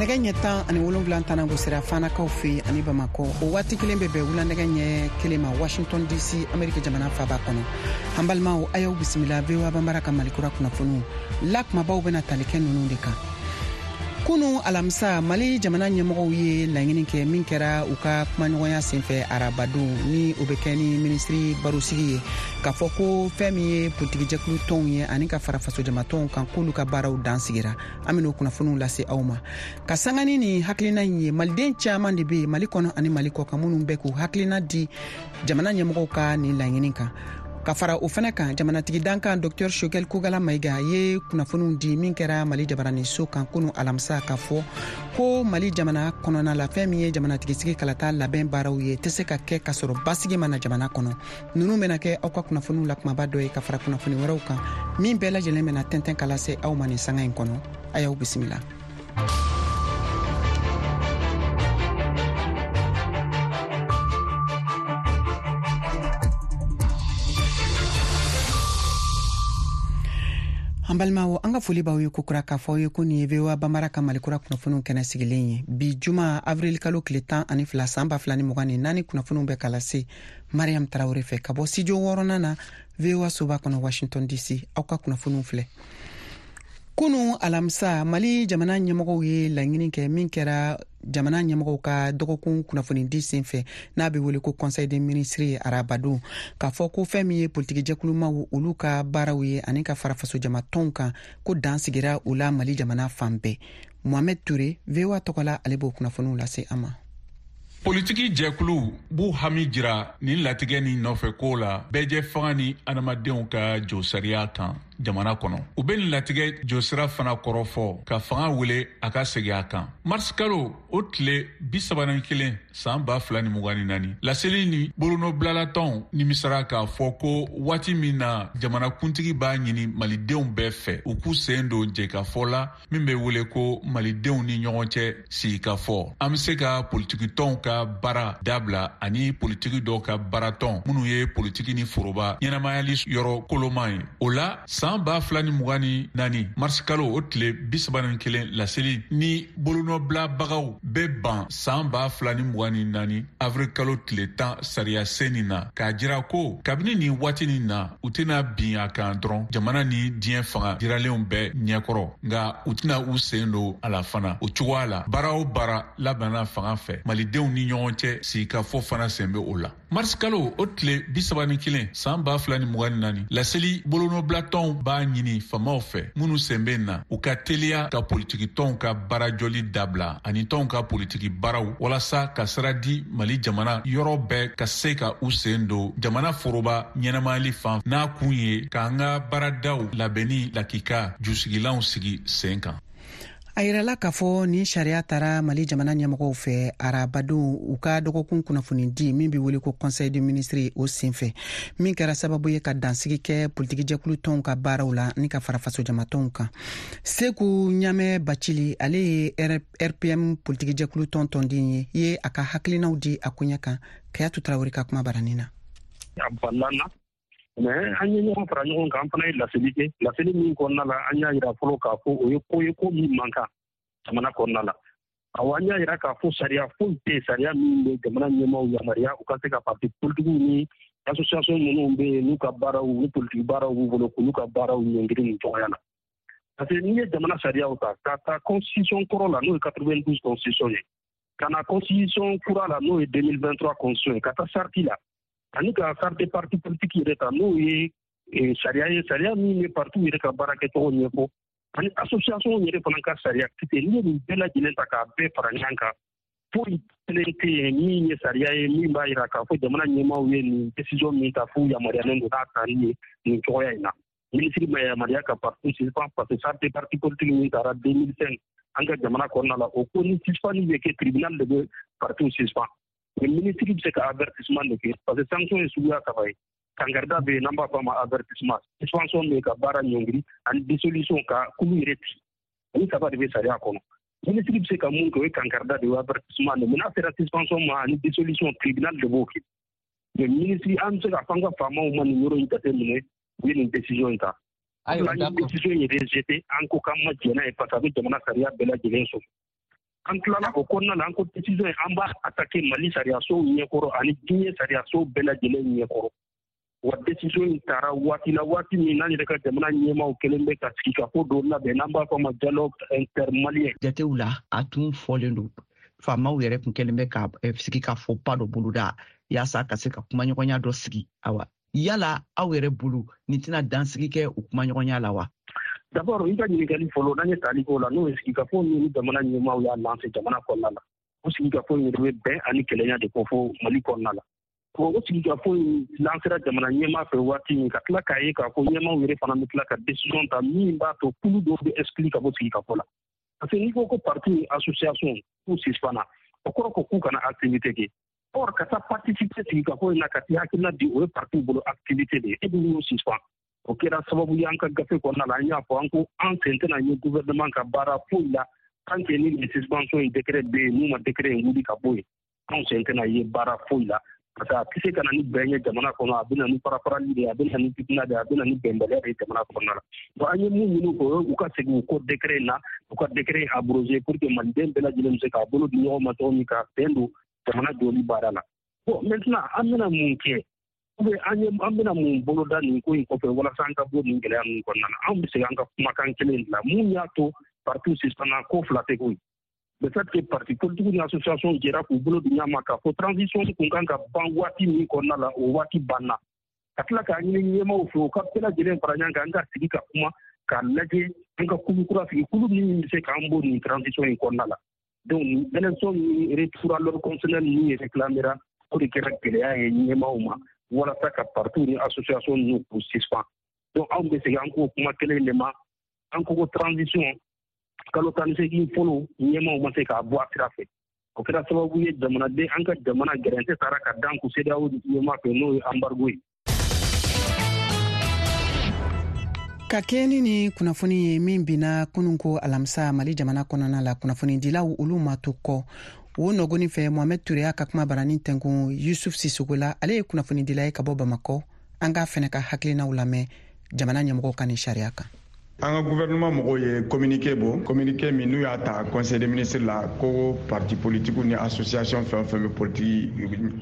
Nɛgɛ ɲɛ 17 tana gosira Fanakaw fɛ ani Bamakɔ. O waati kelen bɛ bɛn wula nɛgɛ ɲɛ 1 ma Washington DC, Ameriki jamana faba kɔnɔ. An balimaw, a y'aw bisimila VOA Banbara ka Malikura kunnafoniw la. Kumabaw bɛna tali kɛ ninnu de kan. Kunu alamisa, Mali jamana ɲɛmɔgɔw ye laɲini kɛ min kɛra u ka kumaɲɔgɔnya senfɛ arabadon, ni o bɛ kɛ ni minisiri barosigi ye, k'a fɔ ko fɛn min ye politikijɛkulu tɔnw ye ani ka fara fasojamatɔnw kan, k'olu ka baaraw dan sigira. An ben'o kunnafoniw lase aw ma. Ka sangani ni hakilina in ye, maliden caaman de be Mali kɔnɔ ani Mali kɔ kan minnu bɛ k'u hakilina di jamana ɲɛmɔgɔw ka nin laɲini kan. Ka fara o fɛnɛ kan, jamanatigi dankan Dr Choguel Kokalla Maïga ye kunnafoniw di min kɛra Mali jabaraniso kan kunu alamisa, k'a fɔ ko Mali jamana kɔnɔna la, fɛn min ye jamanatigisigi kalata labɛn baaraw ye, tɛ se ka kɛ k'a sɔrɔ basigi ma na jamana kɔnɔ. Nunu bɛna kɛ aw ka kunnafoniw la kumaba dɔ ye, ka fara kunnafoni wɛrɛw kan min bɛɛ lajɛlen bɛna tɛntɛn ka lase aw ma nin sanga in kɔnɔ. A y'aw bisimila. An balimaw, an ka foli b'aw ye kokura k'a fɔ aw ye ko nin ye VOA Banbara ka Malikura kunnafoniw kɛnɛ sigilen ye. Bi juma, avril kalo tile 12, san 2024, kunnafoniw bɛ ka lase Mariam Tarawure fɛ ka bɔ studio wɔɔrɔnan na, VOA soba kɔnɔ, Washington DC. Aw ka kunnafoniw filɛ. Kunu alamisa, Mali jamana ɲɛmɔgɔw ye laɲini kɛ min kɛra jamana ɲɛmɔgɔw ka dɔgɔkun kunnafonidi senfɛ, n'a bɛ wele ko Conseil des ministres ye arabadon, k'a fɔ ko fɛn min ye politikijɛkulumaw olu ka baaraw ye ani ka fara fasojamatɔnw kan, ko dan sigira o la Mali jamana fan bɛɛ. Mohamed Touré, VOA tɔgɔ la, ale b'o kunnafoniw lase an ma. Politiki jɛkuluw b'u hami jira nin latigɛ ni nɔfɛ ko la bɛɛjɛ fanga ni adamadenw ka josariya kan jamana kɔnɔ. U bɛ nin latigɛ josira fana kɔrɔfɔ ka fanga wele a ka segin a kan. Marisi kalo o tile 31, san 2024, laseli ni bolonɔbilalatɔnw nimisara k'a fɔ ko waati min na jamanakuntigi b'a ɲini malidenw bɛɛ fɛ u k'u sen don jɛkafɔ la min bɛ wele ko malidenw ni ɲɔgɔn cɛ sigikafɔ, an bɛ se ka politikitɔnw ka baara dabila ani politiki dɔw ka baaratɔn minnu ye politiki ni foroba ɲɛnamayali yɔrɔ koloman ye. O la, san 2024 marisi kalo o tile 31, laseli ni bolonɔbilabagaw bɛ ban san 2024 avril kalo tile 10 sariya sen nin na, k'a jira ko kabini nin waati nin na, u tɛna bin a kan dɔrɔn jamana ni diɲɛ fanga jiralenw bɛɛ ɲɛkɔrɔ, nka u tɛna u sen don a la fana. O cogoya la, baara o baara labɛnna fanga fɛ, malidenw ni ɲɔgɔn cɛ sigikafɔ fana sen bɛ o la. Marisi kalo o tile 31, san 2024, laseli bolonɔbilatɔnw b'a ɲini faamaw fɛ minnu sen bɛ na, u ka teliya ka politikitɔnw ka baarajɔli dabila ani tɔnw ka politiki baaraw, walasa ka sira di Mali jamana yɔrɔ bɛɛ ka se ka u sen don jamana foroba ɲɛnamayali fan, n'a kun ye k'an ka baaradaw labɛnni lakika jusigilanw sigi sen kan. A yirala k'a fɔ nin sariya tara Mali jamana ɲɛmɔgɔw fɛ arabadon, u ka dɔgɔkun kunnafoni di min be wele ko Conseil de ministre o senfɛ, min kɛra sababu ye ka dansigi kɛ politikijɛkulu tɔnw ka baaraw la ni ka fara fasojamatɔnw kan. Seku Ɲamɛ Bacili, ale ye RPM politikijɛkulu tɔn tɔnden ye, ye a ka hakilinaw di a koɲɛ kan Kayatu Tarawele ka kuma baranin na. A balala, mais an ye ɲɔgɔn fara ɲɔgɔn kan, an fana ye laseli kɛ. Laseli min kɔnɔna la, an y'a yira fɔlɔ k'a fɔ o ye ko ye, ko min man kan jamana kɔnɔna la. Awɔ, an y'a yira k'a fɔ sariya foyi tɛ yen, sariya min bɛ jamana ɲɛmaaw yamaruya u ka se ka parti politikiw ni association minnu bɛ yen, n'u ka baaraw ni politiki baaraw b'u bolo, k'olu ka baaraw ɲɔngiri nin cogoya la. Parce que n'i ye jamana sariyaw ta, ka taa constitution kɔrɔ la, n'o ye 92 constitution ye, ka na constitution kura la, n'o ye 2023 constitution ye, ka taa charte la ani ka charte parti politique yɛrɛ ta, n'o ye sariya ye, sariya min bɛ parti yɛrɛ ka baara kɛcogo ɲɛfɔ, ani association yɛrɛ fana ka sariya kisɛ, n'i ye nin bɛɛ lajɛlen ta k'a bɛɛ fara ɲɔgɔn kan, foyi kelen tɛ yen min ye sariya ye min b'a jira k'a fɔ jamana ɲɛmaaw ye nin décision min ta, f'u yamaruyalen don k'a ta ni ye nin cogoya in na. Minisiri ma yamaruya ka parti suspend, parce que charte parti politique min taara 2005 an ka jamana kɔnɔna la, o ko ni suspend bɛ kɛ, tribunal de bɛ parti suspend, mais minisiri bɛ se ka avertissement de kɛ, parce que sanction ye suguya saba ye: kangarida bɛ yen, n'an b'a fɔ a ma avertissement, suspension bɛ yen, ka baara ɲɔngiri, ani dissolution, ka kulu yɛrɛ ci. Ani saba de bɛ sariya kɔnɔ. Minisiri bɛ se ka mun kɛ, o ye kangarida de ye, avertissement de. Mais n'a sera suspension ma ani dissolution, tribunal de b'o kɛ. Mais minisiri, an bɛ se k'a fɔ an ka faamaw ma nin yɔrɔ in jateminɛ, u ye nin décision in ta. Ayiwa, an ye décision in rejeté, an ko k'an ma jɛn n'a ye, parce que a bɛ jamana sariya bɛɛ lajɛlen sɔsɔ. An tilala o kɔnɔna la, an ko décision in, an b'a attaquer Mali sariyasow ɲɛkɔrɔ ani diɲɛ sariyasow bɛɛ lajɛlen ɲɛkɔrɔ. Wa décision in tara waati la, waati min n'an yɛrɛ ka jamana ɲɛmaaw kɛlen bɛ ka sigikafo dɔ labɛn n'an b'a fɔ a ma dialogue intermalien. Jatew la, a tun fɔlen don, faamaw yɛrɛ tun kɛlen bɛ ka sigikafɔba dɔ boloda yaasa ka se ka kumaɲɔgɔnya dɔ sigi. Awa, yala aw yɛrɛ bolo, nin tɛna dansigi kɛ o kumaɲɔgɔnya la wa? D'abord, i ka ɲininkali fɔlɔ, n'an ye tali k'o la, n'o ye sigikafo min ni jamana ɲɛmaaw y'a lancer jamana kɔnɔna la, o sigikafo in yɛrɛ bɛ bɛn ani kelenya de kofɔ Mali kɔnɔna la. O sigikafo in lancera jamana ɲɛmaa fɛ waati min, ka tila k'a ye k'a fɔ ɲɛmaaw yɛrɛ fana bɛ tila ka décision ta min b'a to kulu dɔw bɛ exclu ka bɔ sigikafo la, parce que n'i ko ko parti ni association k'u suspendra, o kɔrɔ ko k'u kana activité kɛ. Or, ka taa participer sigikafo in na, ka t'i hakilina di, o ye parti bolo activité de ye. E dun y'o suspend. O kɛra sababu ye, an ka gafe kɔnɔna la, an y'a fɔ, an ko an sen tɛna ye gouvernement ka baara foyi la tant que ni nin suspension in décret bɛ yen. N'u ma décret in wuli ka bɔ yen, anw sen tɛna ye baara foyi la, parce que a tɛ se ka na ni bɛn ye jamana kɔnɔ. A bɛ na ni farafarali de ye, a bɛ na ni fitina de ye, a bɛ na ni bɛnbaliya de ye jamana kɔnɔna la. Bon, an ye mun ɲini o ye, u ka segin u kɔ décret in na, u ka décret in abrogé pour que maliden bɛɛ lajɛlen bɛ se k'a bolo di ɲɔgɔn ma cogo min ka bɛn don jamana jɔli baara la. Bon, maintenant, an bɛna mun kɛ ou bien an ye an bɛna mun boloda nin ko in kɔfɛ walasa an ka bɔ nin gɛlɛya ninnu kɔnɔna na? Anw bɛ segin an ka kumakan kelen de la. Mun y'a to parti suspendra? Ko fila tɛ koyi. Le fait que parti politique ni association jɛra k'u bolo di ɲɔgɔn ma k'a fɔ transition kun kan ka ban waati min kɔnɔna la, o waati banna, ka tila k'a ɲini ɲɛmaaw fɛ u ka bɛɛ lajɛlen fara ɲɔgɔn kan, an ka sigi ka kuma k'a lajɛ, an ka kulu kura sigi, kulu min bɛ se k'an bɔ nin transition in kɔnɔna la. Donc élection ni retour à l'ordre constitutionnel min réclamera, o de kɛra gɛlɛya ye ɲɛmaaw ma walasa ka parti ni association ninnu k'u suspend. Donc anw bɛ segin an k'o kuma kelen de ma. An ko ko transition kalo 18 fɔlɔ, ɲɛmaaw ma se k'a bɔ a sira fɛ. O kɛra sababu ye, jamanaden, an ka jamana gɛrɛntɛ taara ka dan ku CEDEAO ɲɛmaa fɛ, n'o ye embargo ye. Ka kɛɲɛ ni ni kunnafoni ye min binna kunun ko alamisa Mali jamana kɔnɔna la, kunnafonidilaw olu ma to kɔ. O nɔgɔni fɛ, Mohamɛd Ture y'a ka kuma barani tɛnkun Yusuf Sisogo la. Ale ye kunnafonidila ye ka bɔ Bamakɔ. An k'a fɛnɛ ka hakilinaw lamɛn jamana ɲɛmɔgɔw ka nin sariya kan. An ka gouvernement mɔgɔw ye communiqué bɔ, communiqué min n'u y'a ta conseil des ministres la, ko parti politique ni association fɛn o fɛn bɛ politique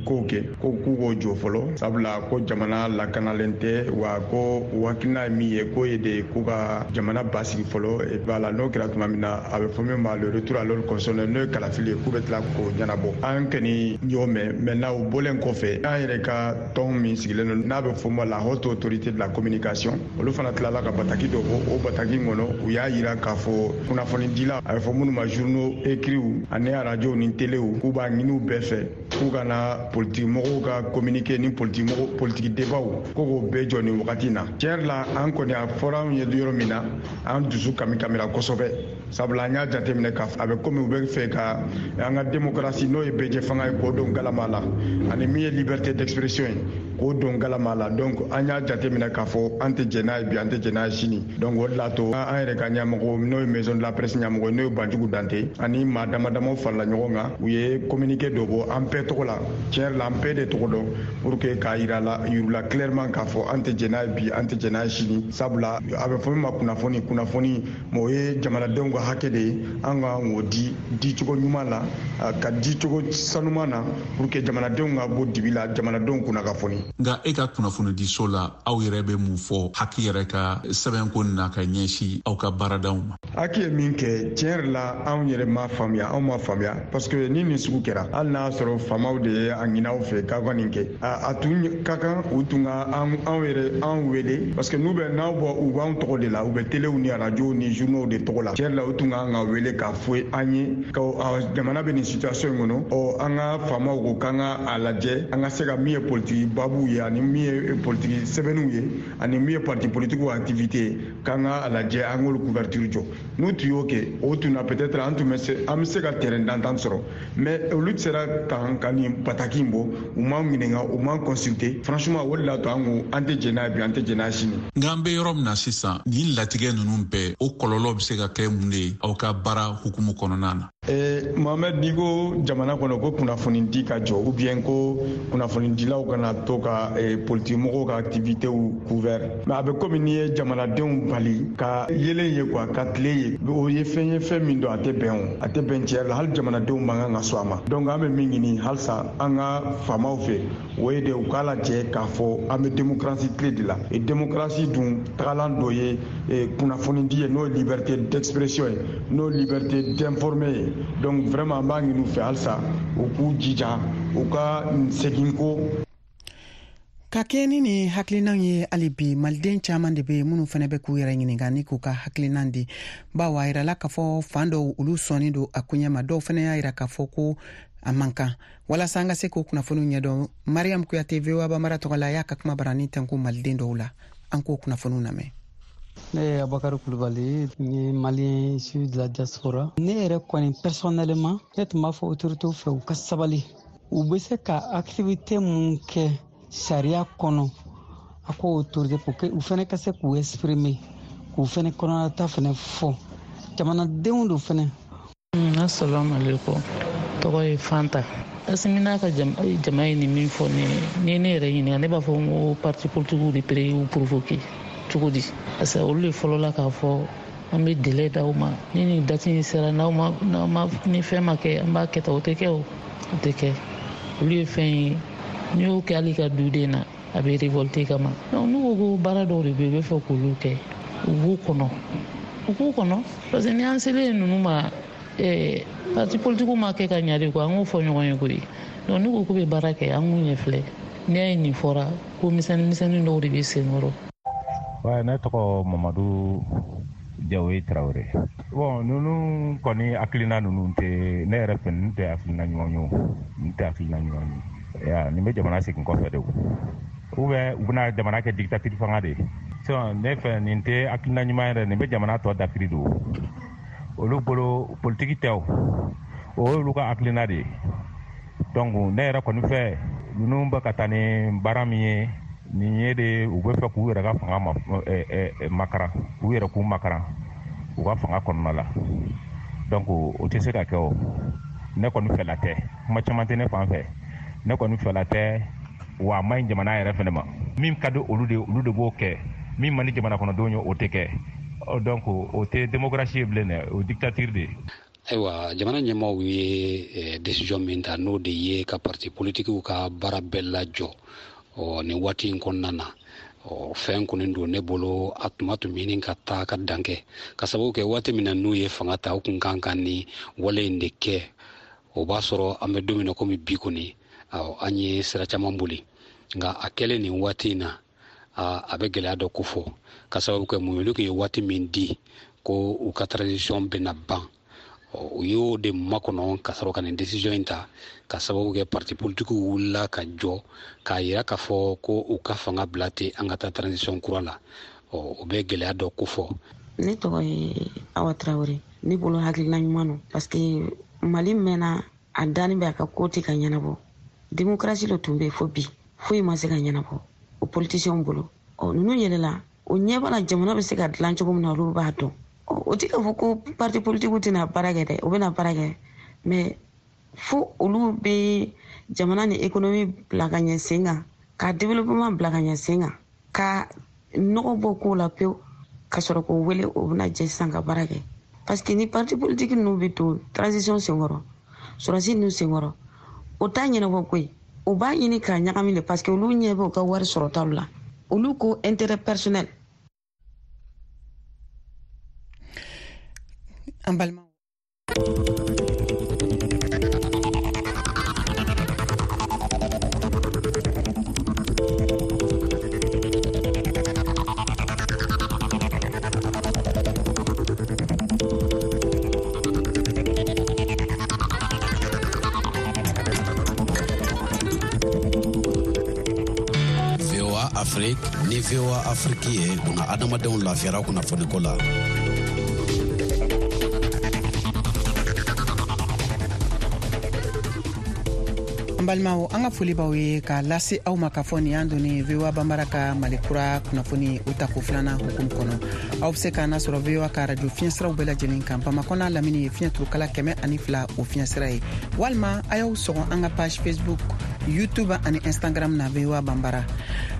kow kɛ, ko k'u k'o jɔ fɔlɔ, sabula ko jamana lakanalen tɛ. Wa ko u hakilina ye min ye, k'o ye de k'u ka jamana basigi fɔlɔ. Voilà, n'o kɛra tuma min na, a bɛ fɔ min ma le retour à l'ordre constitutionnel, n'o ye kalafili ye, k'u bɛ tila k'o ɲɛnabɔ. An kɔni y'o mɛn. Maintenant, o bɔlen kɔfɛ, an yɛrɛ ka tɔn min sigilen don n'a bɛ fɔ ma la Haute Autorité de la Communication, olu fana tilala ka bataki dɔ bɔ. O bataki kɔnɔ, u y'a yira k'a fɔ kunnafonidila, a bɛ fɔ minnu ma journaux écrits ani arajow ni telew, k'u b'a ɲini u bɛɛ fɛ k'u kana politiki mɔgɔw ka communiqué ni politiki mɔgɔ politiki débatw ko k'o bɛɛ jɔ nin wagati na. Tiɲɛ yɛrɛ la, an kɔni, a fɔra anw ye yɔrɔ min na, an dusu kami kamira kosɛbɛ, sabula an y'a jateminɛ k'a a bɛ komi u bɛ fɛ ka an ka démocratie, n'o ye bɛɛjɛ fanga ye, k'o don galama la, ani min ye liberté d'expression ye, k'o don galama la. Donc an y'a jateminɛ k'a fɔ an tɛ jɛn n'a ye bi, an tɛ jɛn n'a ye sini. Donc o de la to an yɛrɛ ka ɲɛmɔgɔ, n'o ye Maison de la Presse ɲɛmɔgɔ, n'o ye Banjugu Dante, ani maa dama damaw farala ɲɔgɔn kan, u ye communiqué dɔ bɔ an bɛɛ tɔgɔ la. Tiɲɛ yɛrɛ la, an bɛɛ de tɔgɔ dɔn, pour que k'a yira la yirula clairement k'a fɔ an tɛ jɛn n'a ye bi, an tɛ jɛn n'a ye sini, sabula a bɛ fɔ min ma kunnafoni, kunnafoni o ye jamanadenw ka hakɛ de ye. An ka k'o di dicogo ɲuman la, ka dicogo sanuman na, pour que jamanadenw ka bɔ dibi la, jamanadenw kunna ka foni. Nka e ka kunnafonidiso la, aw yɛrɛ bɛ mun fɔ HAC yɛrɛ ka sɛbɛnko na ka ɲɛsin aw ka baaradaw ma? HAC ye min kɛ, tiɲɛ yɛrɛ la, anw yɛrɛ m'a faamuya. Anw m'a faamuya, parce que ni nin sugu kɛra, hali n'a sɔrɔ faamaw de ye a ɲini aw fɛ k'aw ka nin kɛ, a tun ka kan u tun ka anw yɛrɛ anw wele, parce que n'u bɛ n'aw bɔ, u b'anw tɔgɔ de la, u bɛ telew ni arajow ni journaux de tɔgɔ la. Tiɲɛ yɛrɛ la, u tun kan ka wele k'a fɔ an ye ka jamana bɛ nin situation in kɔnɔ. Ɔ, an ka faamaw ko k'an ka a lajɛ, an ka se ka min ye politiki babuw ye, ani min ye politiki sɛbɛnniw ye, ani min ye parti politikiw activité ye, k'an ka a lajɛ, an k'olu couverture jɔ. N'u tun y'o kɛ, o tun na peut-être an tun bɛ se, an bɛ se ka terrain d'entente sɔrɔ. Mais olu sera kan ka nin bataki in bɔ, u m'an ɲininka, u m'an consulter. Franchement, o de la to an ko an tɛ jɛn n'a ye bi, an tɛ jɛn n'a ye sini. Nka an bɛ yɔrɔ min na sisan, nin latigɛ ninnu bɛɛ, o kɔlɔlɔ bɛ se ka kɛ mun de ye aw ka baara hukumu kɔnɔna na? Mohamed, n'i ko jamana kɔnɔ ko kunnafonidi ka jɔ ou bien ko kunnafonidilaw kana to ka politikimɔgɔw ka activitéw couvert, mais a bɛ komi n'i ye jamanadenw bali ka yelen ye quoi, ka tile ye, o ye fɛn ye fɛn min don a tɛ bɛn, o a tɛ bɛn tiɲɛ la. Hali jamanadenw man kan ka sɔn a ma. Donc an bɛ min ɲini halisa an ka faamaw fɛ, o ye de u k'a lajɛ k'a fɔ an bɛ démocratie tile de la, et démocratie dun tagalan dɔ ye kunnafonidi ye, n'o ye liberté d'expression ye, n'o ye liberté d'informer ye. Donc vraiment an b'a ɲini u fɛ halisa u k'u jija u ka segin ko. Ka kɛɲɛ ni nin hakilinan ye, hali bi maliden caman de bɛ minnu fana bɛ k'u yɛrɛ ɲininka ni k'u ka hakilinan di, bawo a yirala k'a fɔ fan dɔw olu sɔnni don a koɲɛ ma, dɔw fana y'a yira k'a fɔ ko a man kan. Walasa an ka se k'o kunnafoniw ɲɛdɔn, Mariam Kuyate, VOA Bambara tɔgɔ la, y'a ka kuma barani tɛnku maliden dɔw la. An k'o kunnafoniw lamɛn. Ne ye Abubakari Kulubali, n ye malien issu de la diaspora. Ne yɛrɛ kɔni personnellement, ne tun b'a fɔ autorités fɛ u ka sabali, u bɛ se ka activité mun kɛ sariya kɔnɔ, a ko autorité pour que u fɛnɛ ka se k'u exprimer, k'u fɛnɛ kɔnɔnata fɛnɛ fɔ jamanadenw do fɛnɛ. Assalamu alaikum. Tɔgɔ ye Fanta. Asimi n'a ka jama ye nin min fɔ ne ye, n'i ye ne yɛrɛ ɲininka, ne b'a fɔ n ko parti politikiw de pere y'u provoquer cogo di? Parce que olu de fɔlɔla k'a fɔ an bɛ délai d'aw ma, ni nin date in sera, n'aw ma, n'aw ma, ni fɛn ma kɛ, an b'a kɛ tan. O tɛ kɛ, o tɛ kɛ. Olu ye fɛn ye, n'i y'o kɛ hali ka duden na, a bɛ révolter kama. Donc n'u ko ko baara dɔw de bɛ yen, u bɛ fɛ k'olu kɛ, u b'u kɔnɔ, u k'u kɔnɔ. Parce que ni an selen ninnu ma, parti politikiw ma kɛ ka ɲa de quoi, an k'o fɔ ɲɔgɔn ye koyi. Donc n'u ko k'u bɛ baara kɛ, an k'u ɲɛ filɛ. N'i y'a ye nin fɔra, ko misɛnnin misɛnnin dɔw de bɛ senkɔrɔ. Ouais, ne tɔgɔ Mamadu Jawoyi Tarawele. Bon, ninnu kɔni hakilina ninnu tɛ ne yɛrɛ fɛ, ninnu tɛ hakilina ɲuman ye o, ninnu tɛ hakilina ɲuman ye. Ya, nin bɛ jamana segin kɔfɛ de o. Ou bien u bɛna jamana kɛ dictature fanga de ye. Sinon ne fɛ nin tɛ hakilina ɲuman yɛrɛ, nin bɛ jamana tɔ dafiri de o. Olu bolo politiki tɛ o, o y'olu ka hakilina de ye. Donc ne yɛrɛ kɔni fɛ, ninnu bɛ ka taa ni baara min ye, nin ye de u bɛ fɛ k'u yɛrɛ ka fanga makaran, k'u yɛrɛ k'u makaran u ka fanga kɔnɔna la. Donc o tɛ se ka kɛ o. Ne kɔni fɛla tɛ, kuma caman tɛ ne fan fɛ, ne kɔni fɛla tɛ, wa a man ɲi jamana yɛrɛ fɛnɛ ma. Min ka di olu de, olu de b'o kɛ, min man di jamana kɔnɔdenw ye, o tɛ kɛ. Donc o tɛ démocratie ye bilen dɛ, o dictature de ye. Ayiwa, jamana ɲɛmaaw ye décision min ta, n'o de ye ka parti politikiw ka baara bɛɛ lajɔ nin waati in kɔnɔna na, fɛn kɔni don ne bolo, a tuma tun bɛ ɲini ka taa ka dan kɛ, ka sababu kɛ waati min na n'u ye fanga ta, u kun kan ka nin wale in de kɛ. O b'a sɔrɔ an bɛ don min na komi bi kɔni, an ye sira caman boli, nka a kɛlen nin waati in na, a bɛ gɛlɛya dɔ kofɔ, ka sababu kɛ mun ye, olu tun ye waati min di ko u ka transition bɛna ban, u y'o de makɔnɔ ka sɔrɔ ka nin décision in ta, ka sababu kɛ parti politikiw wulila ka jɔ k'a yira k'a fɔ ko u ka fanga bila ten, an ka taa transition kura la. O bɛ gɛlɛya dɔ kofɔ. Ne tɔgɔ ye Awa Tarawele. Ne bolo hakilina ɲuman don, parce que Mali mɛnna a danni bɛ a ka ko tɛ ka ɲɛnabɔ. Démocratie de tun bɛ yen fo bi, foyi ma se ka ɲɛnabɔ o politiciens bolo. Ninnu yɛlɛla, o ɲɛ b'a la jamana bɛ se ka dilan cogo min na, olu b'a dɔn. O tɛ k'a fɔ ko parti politikiw tɛna baara kɛ dɛ, o bɛna baara kɛ, mais fo olu bɛ jamana ni économie bila ka ɲɛ sen kan, ka développement bila ka ɲɛ sen kan, ka nɔgɔ bɔ kow la pewu, ka sɔrɔ k'o wele, o bɛna jɛ sisan ka baara kɛ. Parce que ni parti politique ninnu bɛ don transition senkɔrɔ, sɔrɔdasi ninnu senkɔrɔ, o t'a ɲɛnabɔ koyi. O b'a ɲini k'a ɲagami de, parce que olu ɲɛ bɛ u ka wari sɔrɔtaw la, olu ko intérêt personnel. An balima Afrique ni VOA Afrique ye buna adamadenw lafiyara kunnafoniko la. An An balimaw, an ka foli b'aw ye k'a lase aw ma k'a fɔ nin y'an donnen VOA Banbara ka Mali kura kunnafoni o tako filanan hukumu kɔnɔ. Aw bɛ se k'an nasɔrɔ VOA ka radio fiɲɛsiraw bɛɛ lajɛlen kan. Bamakɔ n'a lamini ye fiɲɛ turukala 102 o fiɲɛsira ye, walima a y'aw sɔgɔ an ka page Facebook, YouTube ani Instagram na VOA Banbara.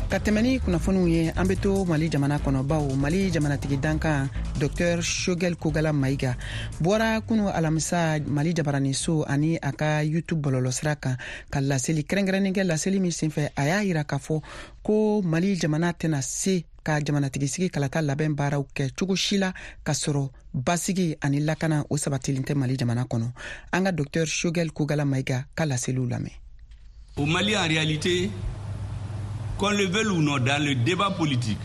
Ka tɛmɛ ni kunnafoniw ye, an bɛ to Mali jamana kɔnɔ, bawo Mali jamanatigi dankan Dr Choguel Kokalla Maïga bɔra kunu alamisa Mali jabaraniso ani a ka YouTube bɔlɔlɔsira kan ka laseli kɛrɛnkɛrɛnnen kɛ. Laseli min senfɛ, a y'a yira k'a fɔ ko Mali jamana tɛna se ka jamanatigisigi kalata labɛn baaraw kɛ cogo si la k'a sɔrɔ basigi ani lakana o sabatilen tɛ Mali jamana kɔnɔ. An ka Dr Choguel Kokalla Maïga ka laseliw lamɛn. Au Mali, en réalité, qu'on le veuille ou non, dans le débat politique,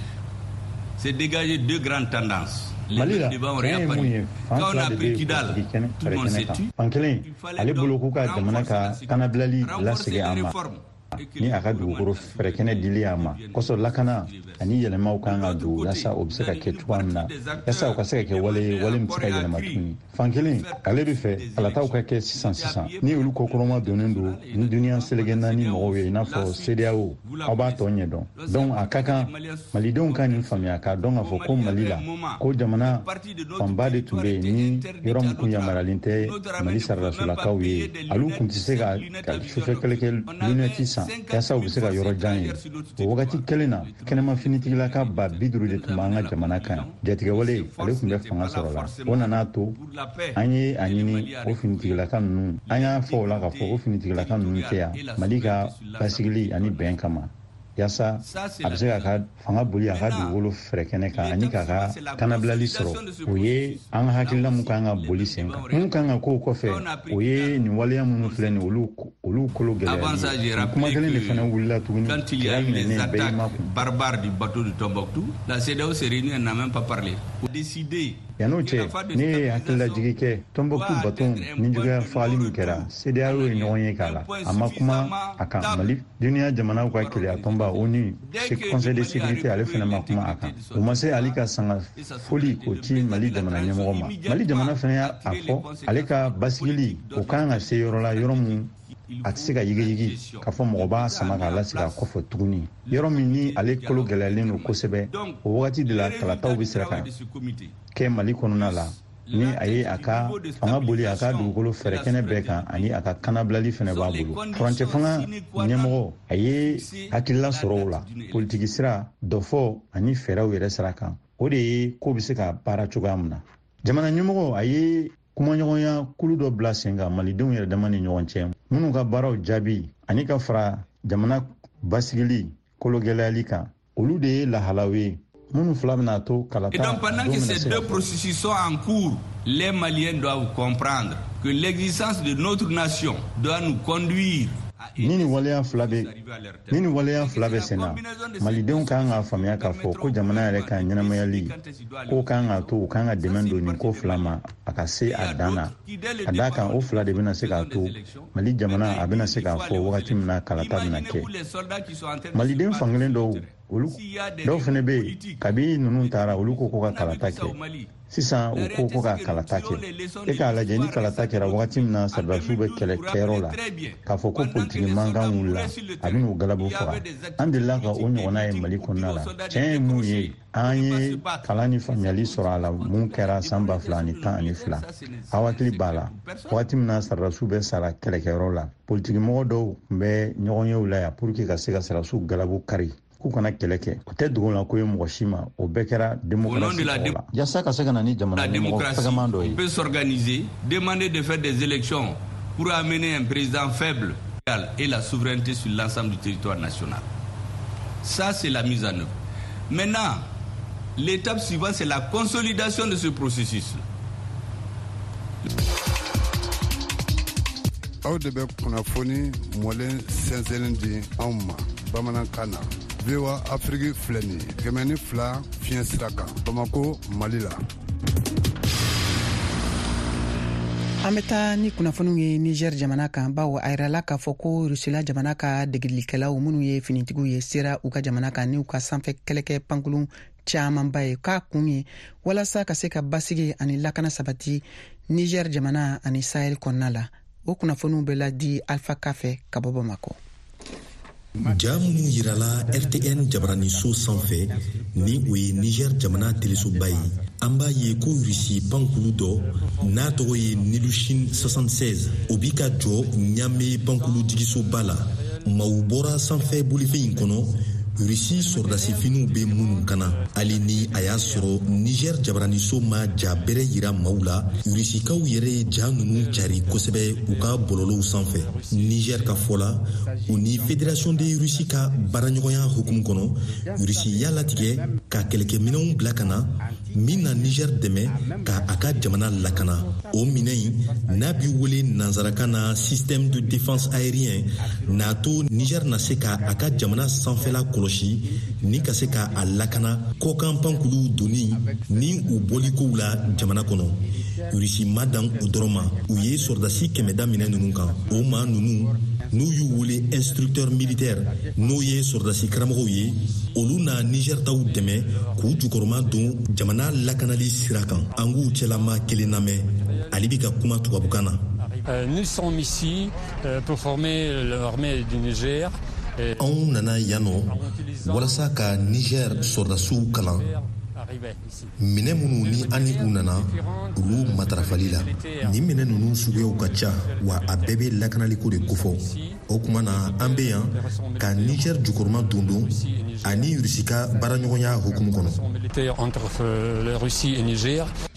s'est dégagé deux grandes tendances. Mali la, tiɲɛ ye mun ye, fan fila de bɛ politiki kɛnɛ fɛrɛ kan. Fan kelen, ale bolo k'u ka jamana ka kanabilali lasegin a ma ni a ka dugukolo fɛrɛkɛnɛ dili a ma kosɔn, lakana ani yɛlɛmaw kan ka don yaasa o bɛ se ka kɛ cogoya min na, yaasa o ka se ka kɛ wale ye, wale min bɛ se ka yɛlɛma tuguni. Fan kelen, ale bɛ fɛ kalataw ka kɛ sisan sisan, ni olu kɔkɔrɔma donnen don ni duniya seleke naani mɔgɔw ye, i n'a fɔ CEDEAO. Aw b'a tɔ ɲɛdɔn. Donc a ka kan malidenw ka nin faamuya k'a dɔn k'a fɔ ko Mali la, ko jamana fanba de tun bɛ yen ni yɔrɔ min kun yamaruyalen tɛ Mali saradasolakaw ye. Olu kun tɛ se ka sufɛ kɛlɛkɛ lunɛti san yaasa u bɛ se ka yɔrɔ jan ye. O wagati kelen na, kɛnɛma finitigilaka 50 000 de tun b'an ka jamana kan yan. Jatigɛwale ale tun bɛ fanga sɔrɔ la, o nana to an ye a ɲini o finitigilaka ninnu, an y'a fɔ o la k'a fɔ o finitigilaka ninnu tɛ yan Mali ka basigili ani bɛn kama, yaasa a bɛ se k'a ka fanga boli a ka dugukolo fɛrɛkɛnɛ kan ani k'a ka kanabilali sɔrɔ. O ye an ka hakilina mun kan ka boli sen kan. Mun kan ka k'o kɔfɛ, o ye nin waleya minnu filɛ nin, olu kolo gɛlɛyali. Kuma kelen de fana wulila tuguni. Quand il y a eu les attaques barbares du bateau de Tombouctou, la CEDEAO s'est réunie, elle n'a même pas parlé. Décidé. Yan'o cɛ, ne ye hakililajigi kɛ. Tɔnbɔkutu baton nijuguya fagali min kɛra, CEDEAO ye ɲɔgɔn ye k'a la, a ma kuma a kan. Mali, duniya jamanaw ka keleya tɔnba ONU, Conseil de sécurité, ale fana ma kuma a kan. O ma se ale ka sanga foli k'o ci Mali jamana ɲɛmɔgɔ ma. Mali jamana fana y'a fɔ, ale ka basigili o kan ka se yɔrɔ la, yɔrɔ mun a tɛ se ka yigiyigi k'a fɔ mɔgɔ b'a sama k'a lasigi a kɔfɛ tuguni, yɔrɔ min ni ale kolo gɛlɛyalen don kosɛbɛ. O wagati de la, kalataw bɛ sira ka kɛ Mali kɔnɔna la, ni a ye a ka fanga boli a ka dugukolo fɛrɛkɛnɛ bɛɛ kan ani a ka kanabilali fɛnɛ b'a bolo. Furancɛ fanga ɲɛmɔgɔ, a ye hakilila sɔrɔ o la politiki sira dɔfɔ ani fɛɛrɛw yɛrɛ sira kan. O de ye ko bɛ se ka baara cogoya min na. Jamana ɲɛmɔgɔ, a ye kumaɲɔgɔnya kulu dɔ bila sen kan malidenw yɛrɛ dama ni ɲɔgɔn cɛ, minnu ka baaraw jaabi ani ka fara jamana basigili kologɛlɛyali kan, olu de ye lahalaw ye minnu fila bɛna to kalata. Et donc pendant que ces deux processus sont en cours, les Maliens doivent comprendre que l'existence de notre nation doit nous conduire. Ni nin waleya fila bɛ sen na, malidenw kan k'a faamuya k'a fɔ ko jamana yɛrɛ ka ɲɛnamayali ko kan k'a to u kan ka dɛmɛ don nin ko fila ma a ka se a dan na, ka d'a kan o fila de bɛna se k'a to Mali jamana a bɛna se k'a fɔ wagati min na kalata bɛna kɛ. Maliden fankelen dɔw, olu dɔw fana bɛ yen, kabi ninnu taara, olu ko ko ka kalata kɛ sisan. U ko ko ka kalata kɛ. E k'a lajɛ, ni kalata kɛra wagati min na sɔrɔdasiw bɛ kɛlɛ kɛyɔrɔ la, k'a fɔ ko politiki mankan wulila, a bɛ n'u galabu faga. An delila ka o ɲɔgɔnna ye Mali kɔnɔna la. Tiɲɛ ye mun ye, an ye kalan ni faamuyali sɔrɔ a la. Mun kɛra san 2012, aw hakili b'a la, wagati min na sɔrɔdasiw bɛ sara kɛlɛkɛyɔrɔ la, politikimɔgɔ dɔw tun bɛ ɲɔgɔnyew la yan pour que ka se ka sɔrɔdasiw galabu kari k'u kana kɛlɛ kɛ. O tɛ dogo la ko ye mɔgɔ si ma. O bɛɛ kɛra démocratie tɔgɔ la, yaasa ka se ka na ni jamana ɲɛmɔgɔ fɛgɛman dɔ ye. On peut s'organiser, demander de faire des élections pour amener un président faible et la souveraineté sur l'ensemble du territoire national. Ça, c'est la mise en œuvre. Maintenant, l'étape suivante, c'est la consolidation de ce processus. Aw de bɛ kunnafoni mɔlen sɛnsɛnlen di anw ma bamanankan na. VOA Afiriki filɛ nin ye, 102 fiɲɛ sira kan, Bamako, Mali la. An bɛ taa ni kunnafoniw ye Niger jamana kan, bawo a yirala k'a fɔ ko Rusila jamana ka degelikɛlaw minnu ye finitigiw ye sera u ka jamana kan n'u ka sanfɛ kɛlɛkɛ pankurun camanba ye, k'a kun ye walasa ka se ka basigi ani lakana sabati Niger jamana ani Sahel kɔnɔna la. O kunnafoniw bɛ ladi Alpha Ka fɛ ka bɔ Bamakɔ. Ja minnu yirala RTN jabaraniso sanfɛ, ni o ye Niger jamana telesoba ye, an b'a ye ko Rusi pankulu dɔ n'a tɔgɔ ye Ilyushin 76, o bi ka jɔ Ɲame pankulu jigisoba la. Maaw bɔra sanfɛ bolifɛn in kɔnɔ, Rusi sɔrɔdasifiniw bɛ minnu kana. Hali ni a y'a sɔrɔ Niger jabaraniso ma ja bɛrɛ yira maaw la, Rusikaw yɛrɛ ye ja ninnu cari kosɛbɛ u ka bɔlɔlɔw sanfɛ. Niger ka fɔ la, u ni Fédération de Russie ka baaraɲɔgɔnya hukumu kɔnɔ, Russie y'a latigɛ ka kɛlɛkɛminɛnw bila ka na min na Niger dɛmɛ ka a ka jamana lakana. O minɛn in n'a bi wele nansarakan na système de défense aérien, n'a to Niger na se ka a ka jamana sanfɛla kɔlɔsi ni ka se ka a lakana kɔkan pankuluw donni ni u bɔlikow la jamana kɔnɔ. Rusi ma dan o dɔrɔn ma, u ye sɔrɔdasi 100 da minɛ ninnu kan. O maa ninnu n'u y'u wele instructeur militaire, n'o ye sɔrɔdasi karamɔgɔw ye, olu na Niger taw dɛmɛ k'u jukɔrɔma don jamana lakanali sira kan. An k'u cɛlama kelen lamɛn, ale bi ka kuma tubabukan na. Nous sommes ici pour former l'armée du Niger. Anw nana yan nɔ walasa ka Niger sɔrɔdasiw kalan minɛ minnu ni an ni u nana olu matarafali la. Nin minɛ ninnu suguyaw ka ca, wa a bɛɛ bɛ lakanaliko de kofɔ. O tuma na an bɛ yan ka Niger jukɔrɔma dondon ani Rusi ka baaraɲɔgɔnya hukumu kɔnɔ.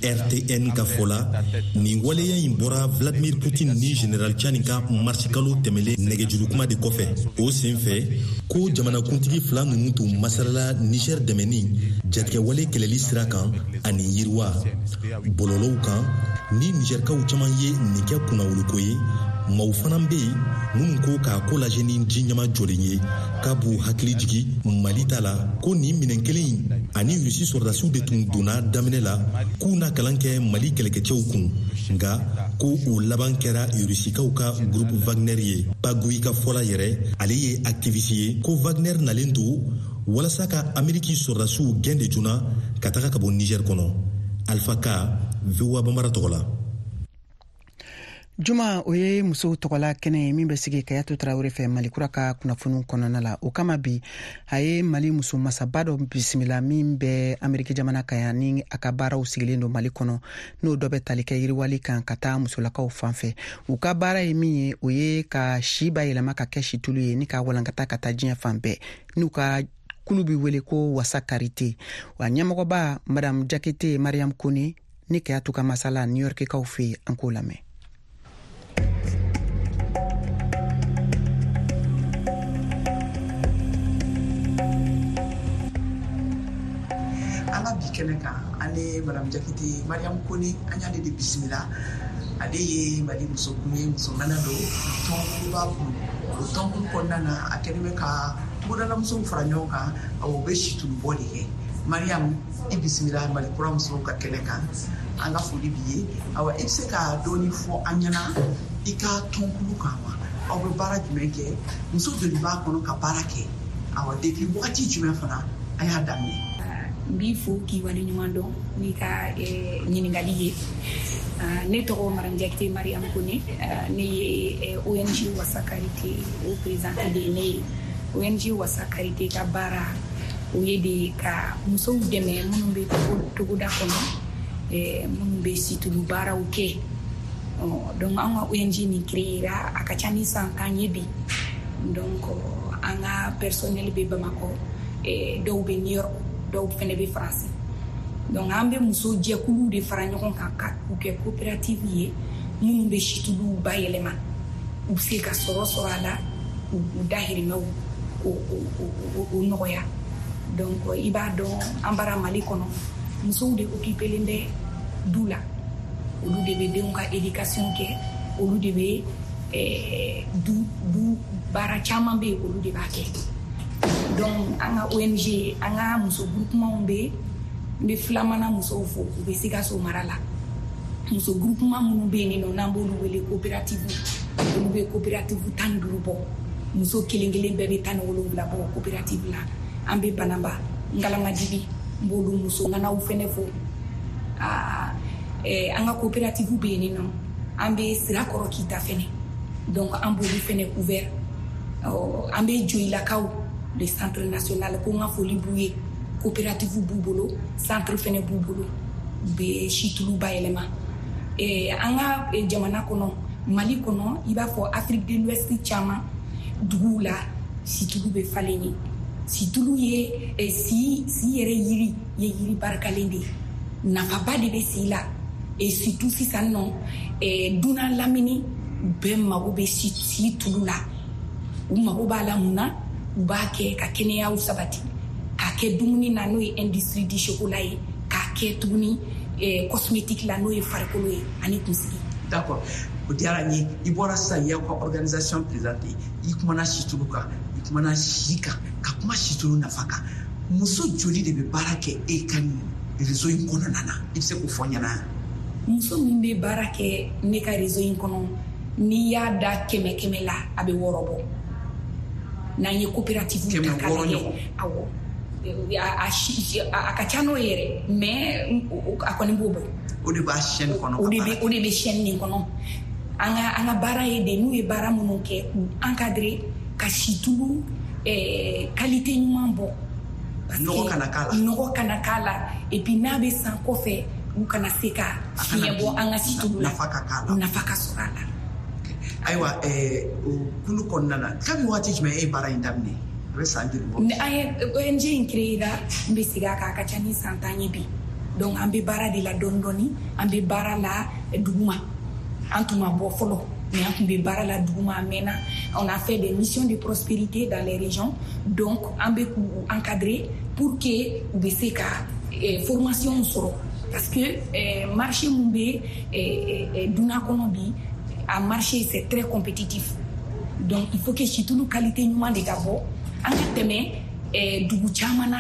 RTN ka fɔ la, nin waleya in bɔra Vladimir Poutine ni Général Tchani ka marisikalo tɛmɛlen nɛgɛjurukuma de kɔfɛ. O senfɛ ko jamanakuntigi fila ninnu tun masalala Niger dɛmɛni jatigɛwale kɛlɛli sira kan ani yiriwa bɔlɔlɔw kan. Ni Nigerkaw caman ye nin kɛ kunnawoloko ye, maaw fana bɛ yen minnu ko k'a ko lajɛ ni ji ɲama jɔlen ye, k'a b'u hakili jigi Mali ta la, ko nin minɛn kelen in ani Rusi sɔrɔdasiw de tun donna daminɛ la k'u na kalan kɛ Mali kɛlɛkɛcɛw kun, nka ko o laban kɛra Rusikaw ka groupe Wagner ye. Pagui ka fɔla yɛrɛ, ale ye activiste ye, ko Wagner nalen don walasa ka Ameriki sɔrɔdasiw gɛn de joona ka taga ka bɔ Niger kɔnɔ. Alpha Ka, VOA Bambara tɔgɔ la. Juma, o ye musow tɔgɔla kɛnɛ ye min bɛ sigi Kayatu Tarawele fɛ Malikura ka kunnafoniw kɔnɔna la. O kama bi, a ye Mali muso masaba dɔ bisimila min bɛ Ameriki jamana kan yan, ni a ka baaraw sigilen don Mali kɔnɔ, n'o dɔ bɛ tali kɛ yiriwali kan ka taa musolakaw fan fɛ. U ka baara ye min ye, o ye ka si bayɛlɛma ka kɛ situlu ye ni ka walankata ka taa diɲɛ fan bɛɛ, n'u ka kulu bi wele ko Wasa Karite. Wa ɲɛmɔgɔba Madame Jakite Mariam Kone ni Kayatu ka masala New Yorkikaw fɛ yen, an k'o lamɛn. An ka bi kɛnɛ kan, an ni Madame Jakite Mariam Kone, an y'ale de bisimila. Ale ye Mali musokun ye, muso ŋana don, tɔnkulu b'a bolo. O tɔnkulu kɔnɔna na, a kɛlen bɛ ka togodalamusow fara ɲɔgɔn kan, awɔ, u bɛ situlubɔ de kɛ. Mariam, i bisimila Mali kura musow ka kɛnɛ kan. An ka foli b'i ye. Awa, i bɛ se ka dɔɔni fɔ an ɲɛna i ka tɔnkulu kan wa? Aw bɛ baara jumɛn kɛ? Muso joli b'a kɔnɔ ka baara kɛ? Awa, depuis wagati jumɛn fana a y'a daminɛ? N b'i fo k'i waleɲuman dɔn n'i ka ɲininkali ye. Ne tɔgɔ Madame Jakite Mariam Kone, ne ye ONG Wasa Karite o présidente de ye. Ne ye ONG Wasa Karite ka baara o ye de ka musow dɛmɛ minnu bɛ togoda kɔnɔ, minnu bɛ situlu baaraw kɛ. Donc an ka ONG nin créera a ka ca ni san 10 ye bi. Donc an ka personnel bɛ Bamakɔ, dɔw bɛ New York, dɔw fɛnɛ bɛ Faransi. Donc an bɛ muso jɛkuluw de fara ɲɔgɔn kan ka k'u kɛ coopérative ye minnu bɛ situluw bayɛlɛma, u bɛ se ka sɔrɔ a la, u dahirimɛw o nɔgɔya. Donc i b'a dɔn an bara Mali kɔnɔ, musow de occupelen bɛ du la, olu de bɛ denw ka éducation kɛ, olu de bɛ du baara caman bɛ yen, olu de b'a kɛ. Donc an ka ONG, an ka muso groupement bɛ, n bɛ filamana musow fo, u bɛ Sikaso mara la. Muso groupement minnu bɛ yen nɔ, n'an b'olu wele coopérative, olu bɛ coopérative 15 bɔ. Muso kelen kelen bɛɛ bɛ 17 bɔ coopérative la. An bɛ Banamba, Ngalamadibi, n b'olu muso ŋanaw fɛnɛ fo. An ka coopérative bɛ yen nɔ, An bɛ Sirakɔrɔ Kita fɛnɛ, donc an b'olu fɛnɛ couvert. An bɛ Joyilakaw, le centre national, ko n ka foli b'u ye. Coopérative b'u bolo, centre fɛnɛ b'u bolo, u bɛ situlu bayɛlɛma. An ka jamana kɔnɔ, Mali kɔnɔ, i b'a fɔ Afrique de l'Ouest caman duguw la, situlu bɛ falen ye. Situlu ye si yɛrɛ yiri ye, yiri barikalen de ye, nafaba de bɛ si la. Et surtout sisan nɔ, dunan lamini bɛɛ mago bɛ si tulu la. U mago b'a la mun na? U b'a kɛ ka kɛnɛyaw sabati, k'a kɛ dumuni na, n'o ye industrie du chocolat ye, k'a kɛ tuguni cosmétique la, n'o ye farikolo ye ani kunsigi. D'accord, o diyara n ye. I bɔra sisan, i y'aw ka organisation présenter, i kumana situlu kan, i kumana si kan, ka kuma situlu nafa kan. Muso joli de bɛ baara kɛ e ka nin réseau in kɔnɔna na? I bɛ se k'o fɔ n ɲɛna? Muso min bɛ baara kɛ ne ka réseau in kɔnɔ, n'i y'a da 100 100 la, a bɛ 6 bɔ. N'an ye coopérative ta k'a lajɛ, awɔ, a ka ca n'o yɛrɛ, mais a kɔni b'o bɔ. O de b'a chaîne kɔnɔ. O de bɛ chaîne nin kɔnɔ. An ka baara ye de, n'u ye baara minnu kɛ, k'u encadrer ka situlu qualité ɲuman bɔ. Nɔgɔ kana k'a la. Nɔgɔ kana k'a la. Et puis n'a bɛ san kɔfɛ, u kana se ka fiɲɛ bɔ an ka situlu la. Nafa ka k'a la. Nafa ka sɔrɔ a la. Ayiwa, o kulu kɔnɔna na, kabi waati jumɛn e ye baara in daminɛ? A bɛ san joli bɔ? An ye ONG in créé la, n bɛ segin a kan, a ka ca ni san 10 ye bi. Donc an bɛ baara de la dɔɔni dɔɔni, an bɛ baara la duguma. An tun ma bɔ fɔlɔ, mais an tun bɛ baara la duguma a mɛnna. On a fait des missions de prospérité dans les régions, donc an bɛ k'u encadrer pour que u bɛ se ka formation sɔrɔ, parce que marché mun bɛ dunan kɔnɔ bi, a marché c'est très compétitif. Donc il faut que situlu qualité ɲuman de ka bɔ. An ka tɛmɛ dugu caman na.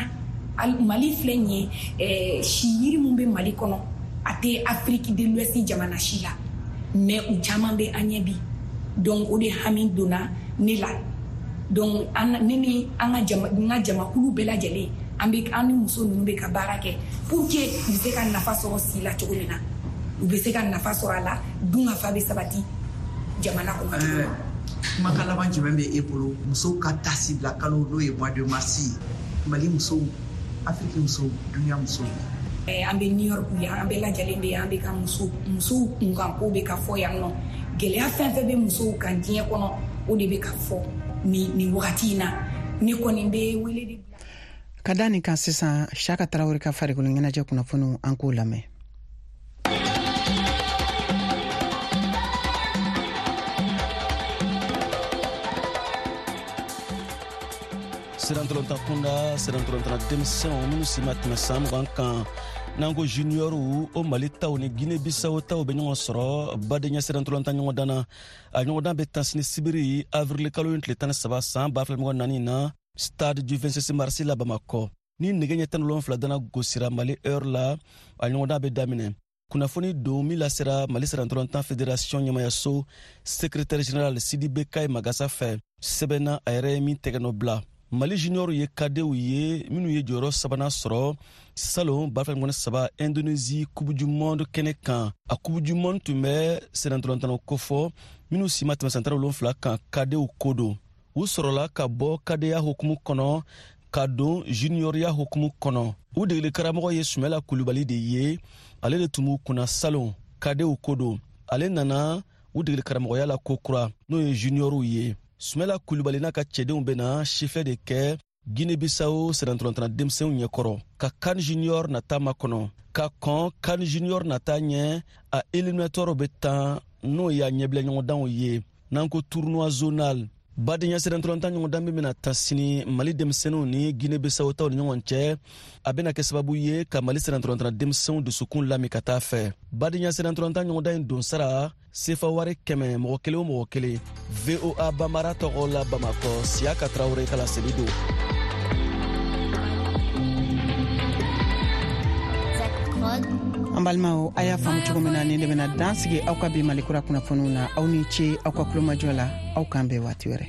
Mali filɛ nin ye, si yiri mun bɛ Mali kɔnɔ, a tɛ Afrique de l'Ouest jamana si la, mais u caman bɛ an ɲɛ bi. Donc o de hami donna ne la. Donc ne ni an ka jamakulu bɛɛ lajɛlen, an ni muso ninnu bɛ ka baara kɛ pour que u bɛ se ka nafa sɔrɔ si la cogo min na, u bɛ se ka nafa sɔrɔ a la, dunkafa bɛ sabati jamana kɔnɔ. Kumakan laban jumɛn bɛ e bolo musow ka taasi bila kalo, n'o ye mois de mars ye, Mali musow, Afrique musow, dunuya musow? An bɛ New York yan, an bɛɛ lajɛlen bɛ yan, an bɛ ka musow kunkanko bɛ ka fɔ yan nɔ. Gɛlɛya fɛn fɛn bɛ musow kan diɲɛ kɔnɔ, o de bɛ ka fɔ nin wagati in na. Ne kɔni bɛ wele de bila. Ka da nin kan sisan, Siyaka Tarawele ka farikolo ɲɛnajɛ kunnafoniw, an k'o lamɛn. Sirantolontan kunda, sirantolontan denmisɛnw minnu si ma tɛmɛ san 20 kan, n'an ko juniɔrw, o Mali taw ni Guinée Bissau taw bɛ ɲɔgɔn sɔrɔ badenya sirantolontan ɲɔgɔndan na. A ɲɔgɔndan bɛ tan sini sibiri, avril kalo in tile 13 san 2024 na, stade du 26 mars la Bamakɔ. Ni nɛgɛ ɲɛ 17 dana gosira Mali heure la, a ɲɔgɔndan bɛ daminɛ. Kunnafoni don min lasera Mali sirantolontan fédération ɲɛmayaso secrétaire général Sidibe Kayi Magasa fɛ, sɛbɛnna a yɛrɛ ye min tɛgɛ nɔ bila. Mali junior ye kadew ye minnu ye jɔyɔrɔ sabanan sɔrɔ salon 2023 Indonésie Coupe du monde kɛnɛ kan. A Coupe du monde tun bɛ sennantolatan kofɔ minnu si ma tɛmɛ san 17 kan kadew ko don. U sɔrɔla ka bɔ kadeya hukumu kɔnɔ ka don junioriya hukumu kɔnɔ. U degeli karamɔgɔ ye Sumala Kulubali de ye, ale de tun b'u kunna salon kadew ko don. Ale nana u degeli karamɔgɔya la kokura, n'o ye junioriw ye. Sumala Kulubali n'a ka cɛdenw bɛna sifɛ de kɛ Guinée-Bissau sennantolatan denmisɛnw ɲɛkɔrɔ ka CAN junior nata makɔnɔ. Ka kɔn CAN junior nata ɲɛ, a éliminatoire bɛ tan, n'o y'a ɲɛbila ɲɔgɔndanw ye, n'an ko tournoi zonal. Badenya sennantolatan ɲɔgɔndan min bɛna ta sini Mali denmisɛnninw ni Guinée-Bissau taw ni ɲɔgɔn cɛ, a bɛna kɛ sababu ye ka Mali sennantolatan denmisɛnw dusukun lami ka taa fɛ. Badenya sennantolatan ɲɔgɔndan in donsara sefa wari 100 mɔgɔ kelen o mɔgɔ kelen. VOA Bambara tɔgɔ la Bamakɔ, Siyaka Tarawele ka laseli don. An balimaw, a y'a faamu cogo min na, nin de bɛna dan sigi aw ka bi Malikura kunnafoniw na. Aw ni ce aw ka kulomajɔ la, aw k'an bɛn waati wɛrɛ.